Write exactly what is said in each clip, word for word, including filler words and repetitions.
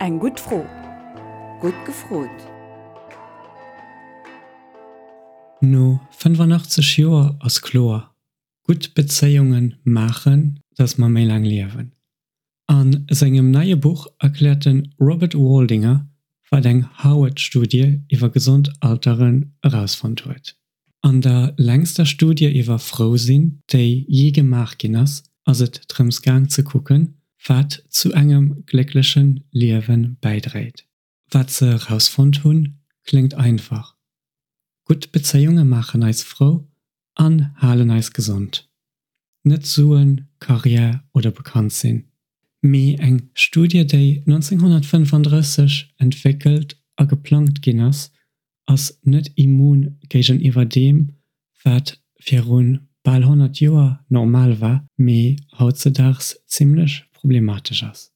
Eng gutt Fro. Gutt gefrot! No fënnefanachtzeg Joer ass kloer, Gutt Bezéiunge maachen, dass mer méi laang liewen. A sengem neie Buch erkläert de Robert Waldinger, wat eng Harvard-Studie iwwer gesond Alteren erausfonnt huet. An der längster Studie iwwer frou sinn, déi jee gemaach ginn ass, ass et drëms gaang ze kucken, wat zu engem gléckleche Liewe bäidréit. Wat se erausfonnt hunn, kléngt einfach, Gutt Bezéiunge maachen eis frou an halen eis gesond. Net Suen, Karriär oder bekannt sinn. Mee eng Studie, déi nonzénghonnertfënnefandrësseg entwéckelt a geplangt ginn ass, ass net immun géigeniwwer deem, wat viru bal honnert Joer normal war, mee hautzedaags zimmlech problematesch ass.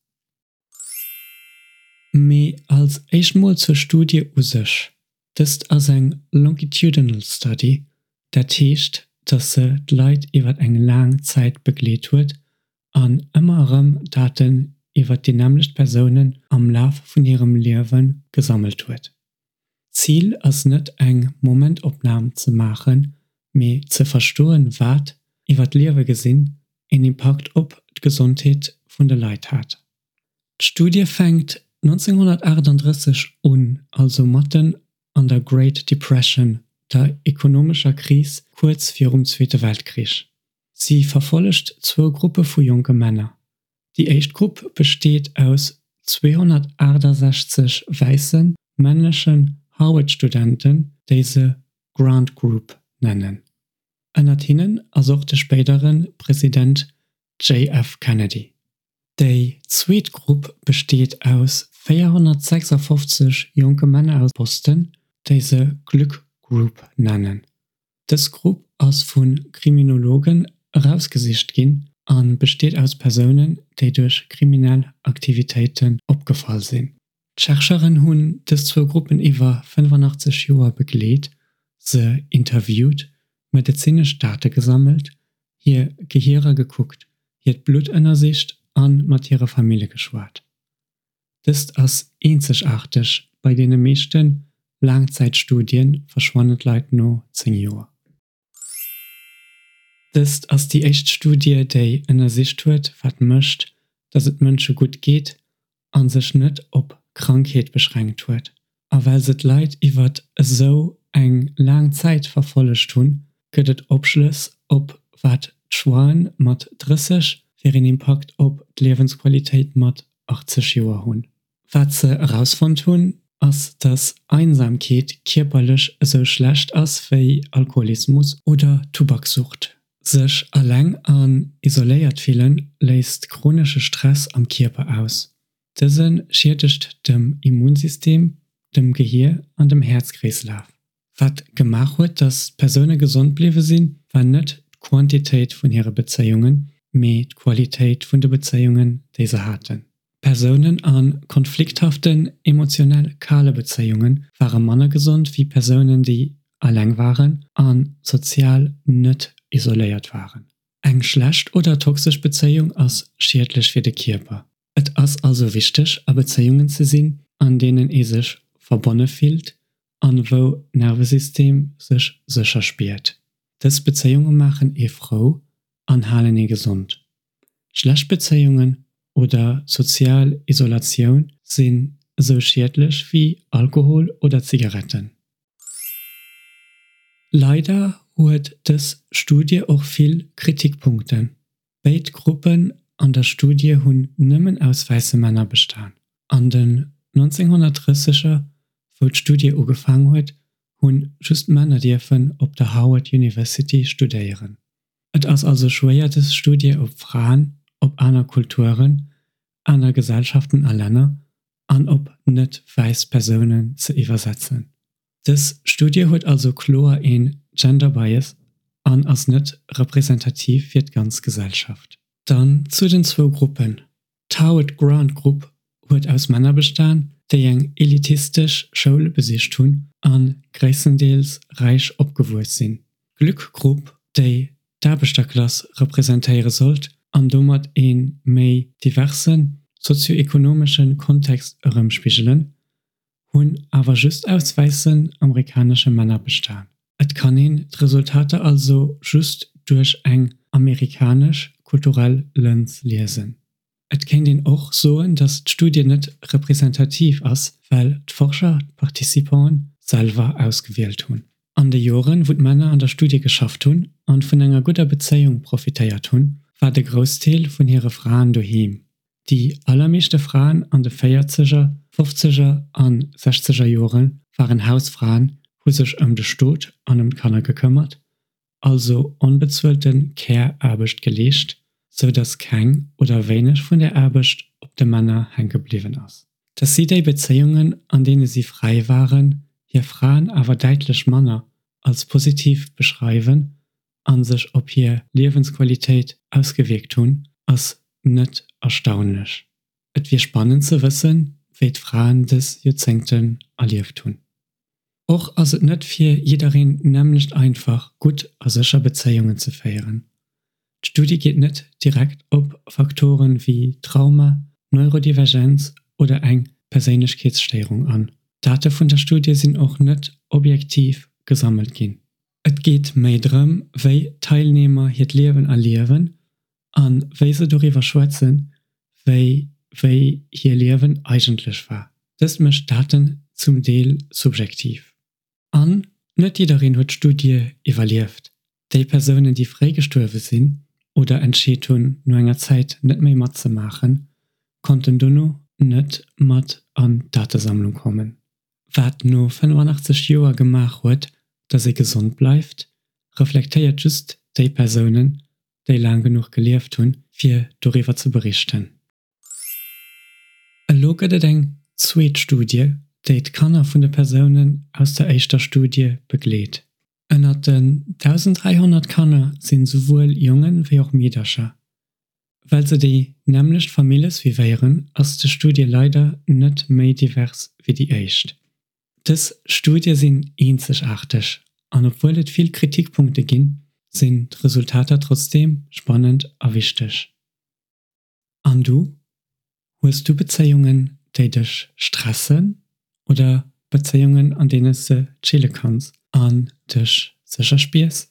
Mee als éischt mol zur Studie u sech, Dëst ass eng longitudinal study, dat heescht, dass se d'Leit iwwer eng laang Zäit begleet huet an ëmmer erëm Daten iwwer déi nämmlecht Persounen am Laf vun hirem Liewe gesammelt huet. D'Zil ass net eng Momentopnam ze maachen, mee ze verstoen, wat, iwwer d'Liewe gesinn, een Impakt op d'Gesondheet vun de Leit hat. D'Studie fänkt nonzénghonnertaachtanddrësseg un, also matten an der Great Depression, der ekonomescher Kris kuerz virum Zweete Weltkrich. Si verfollegt zwou Gruppe vu jonke Männer. Déi éischt Grupp besteet aus zweehonnertaachtasechzeg wäisse männlechen Harvard-Studenten, déi se Grant Group nennen. Ënnert hinnen ass och de spéidere President J F. Kennedy. Déi zweet Grupp besteet aus véierhonnertsechsafofzeg jonke Männer aus Boston, déi se Glück Group nennen. Dës Grupp ass vu Kriminologen erausgesicht ginn a besteet aus Persounen, déi duerch kriminell Aktivitéiten opgefall sinn. D'Chercheuren hunn dës zwou Gruppen iwwer fënnefanachtzeg Joer begleet, se interviewt, medezinesch Date gesammelt, hir Gehierer gekuckt, hiert Blutt ënnersicht a mat hire Famille geschwat. Dëst ass eenzegaarteg, bei deene meeschte Laangzäitstudie verschwannen d'Leit no zéng Joer. Dëst ass déi éischt Studie, déi ënnersicht huet, wat mécht, datt et Mënsche gutt geet, a sech net op Krankheet beschränkt huet. A well se d'Leit iwwer esou eng laang Zäit verfollegt hunn, gëtt et Opschlëss op wat d'Choixen mat drësseg fir een Impakt op d'Liewensqualitéit mat achtzeg Joer hunn. Wat se erausfonnt hunn, ass dass Einsamkeet kierperlech esou schlecht ass wéi Alkoholismus oder Tubaksucht. Sech alleng an isoléiert fillen léist chronesche Stress am Kierper aus. Dëse schiedegt dem Immunsystem, dem Gehier an dem Häerzkreeslaf. Wat gemaach huet, dass d'Persoune gesond bliwwe sinn, war net d'Quantitéit vun hire Bezéiungen, mee d'Qualitéit vun de Bezéiungen, déi se haten. Persounen a konflikthaften, emotionell kale Bezéiunge ware manner gesond wéi Persounen, déi eleng waren a sozial net isoléiert waren. Eng schlecht oder toxesch Bezéiung ass schiedlech fir de Kierper. Et ass also wichteg, a Bezéiungen ze sinn, an deenen ee sech verbonne fillt an wou d'Nervesystem sech sécher spiert. Dës Bezéiunge maachen ee frou an halen ee gesond. Schlecht Bezéiungen oder sozial Isolatioun sinn esou schiedlech wéi Alkohol oder Zigaretten. Leider huet dës Studie och vill Kritikpunkten. Béid Gruppen an der Studie hunn nëmmen aus wäisse Männer bestan. An den nonzénghonnertdrësseger, wou d'Studie ugefaang huet, hunn just Männer dierfen op der Harvard University studéieren. Et ass also schwéier dës Studie op Fraen, op aner Kulturen, aner Gesellschaften a Länner an op net wäiss Persounen ze iwwersetzen. Dës Studie huet also kloer een Gender Bias an ass net representativ fir d'ganz Gesellschaft. Dann zu den zwou Gruppen, D'Howard Grant Grupp huet aus Männer bestan, déi eng elitistesch Schoul besicht hunn a gréisstendeels räich opgewuess sinn. D'Glück Grupp, déi d'Aarbechterklass representéiere sollt an domat ee méi diverse sozio-ekonomesche Kontext erëmspigelen, hunn awer just aus wäissen amerikanesche Männer bestan. Et kann een d'Resultater also just duerch eng amerikanesch kulturell Lëns liesen. Et kéint een och soen, datt d'Studie net representativ ass, well d'Forscher d'Participanten selwer ausgewielt hunn. An de Joren, wou d'Männer an der Studie geschafft hunn an vun enger gudder Bezéiung profitéiert hunn, war de Groussdeel vun hire Fraen doheem. Déi allermeeschte Fraen an de Véierzeger, Fofzeger a Sechzeger Jore waren Hausfraen, hu sech ëm de Stot an ëm d'Kanner gekëmmert, also onbezuelte Care-Aarbecht geleescht, sou datt keng oder wéineg vun där Aarbecht op de Männer hänke bliwwen ass. Datt si déi Bezéiungen, an deene si fräi waren, hir Fraen awer däitlech manner als positiv beschreiwen a sech op hir Liewensqualitéit ausgewierkt hunn, ass net erstaunlech. Et wier spannend ze wëssen, wéi d'Fraen dës Joerzéngten erlieft hunn. Och ass et net fir jiddereen nämmlecht einfach, gutt a sécher Bezéiungen ze féieren. D'Studie geet net direkt op Faktoren wéi Trauma, Neurodivergenz oder eng Perséinlechkeetsstéierung an. D'Date vun der Studie sinn och net objektiv gesammelt ginn. Et geet méi drëm, wéi d'Teilnehmer hiert Liewen erliewen a wéi se doriwwer schwätzen, wéi wéi hir Liewen eigentlech war. Dëst mécht d'Daten zum Deel subjektiv. An net jiddereen huet d'Studie iwwerlieft. Déi Persounen, déi fréi gestuerwe sinn oder entscheet hunn, no enger Zäit net méi matzemaachen, konnten dono net mat an d'Datesammlung kommen. Wat no fënnefanaachtzeg Joer gemaach huet, datt ee gesond bleift, reflektéiert just déi Persounen, déi laang genuch gelieft hunn, fir doriwwer ze berichten. Elo gëtt et eng zweet Studie, déi d'Kanner vun de Persounen aus der éischter Studie begleet. Ënnert den dausenddräihonnert Kanner sinn souwuel Jongen wéi och Meedercher. Well se déi nämmlecht Famille suivéieren, ass des Studie leider net méi divers wéi déi éischt. Dës Studie sinn eenzegaarteg an obwuel et vill Kritikpunkte ginn, sinn d'Resultater trotzdeem spannend a wichteg. An du? Hues du Bezéiungen, déi dech stressen oder Bezéiungen, an deenen s de chille kanns an dech sécher spiers?